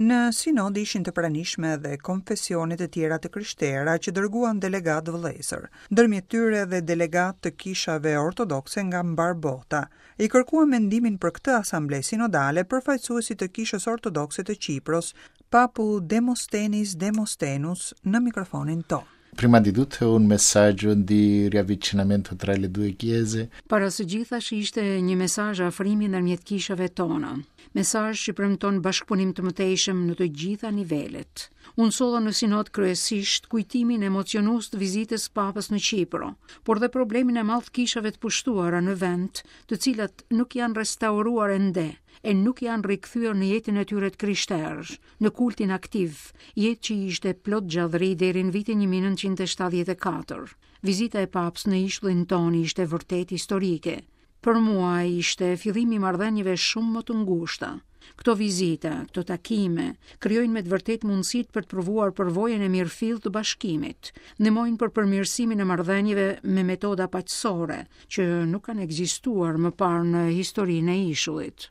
Në sinod ishin të pranishme edhe konfesione të tjera të krishtera që dërguan delegatë vëllezër, ndërmjet tyre edhe delegatë të kishave ortodokse nga mbarë bota. I kërkuam mendimin për këtë asamble sinodale përfaqësuesit të Kishës Ortodokse të Qipros, Papu Demostenis Demostenous në mikrofonin tonë. Prima di tutto un messaggio di riavvicinamento tra le due chiese. Para së gjithash ishte një mesazh afrimi ndërmjet kishave tona. Mesazh që premton bashkëpunim të mëtejshëm në të gjitha nivelet. Unë solla në sinod kryesisht kujtimin emocionues të vizitës së Papës në Qipro, por dhe problemin e madh të kishave të pushtuara në vend, të cilat nuk janë restauruar ende e nuk janë rikthyer në jetën e tyre të krishterë, në kultin aktiv, jetë që ishte plot gjallëri deri në vitin 1974. Vizita e Papës në ishullin tonë ishte vërtet historike. Për mua ishte fillimi i marrëdhënieve shumë më të ngushta. Këto vizita, këto takime, krijojnë me të vërtetë mundësitë për të provuar përvojën e mirëfilltë të bashkimit, ndihmojnë për përmirësimin e marrëdhënieve me metoda paqësore, që nuk kanë ekzistuar më parë në historinë e ishullit.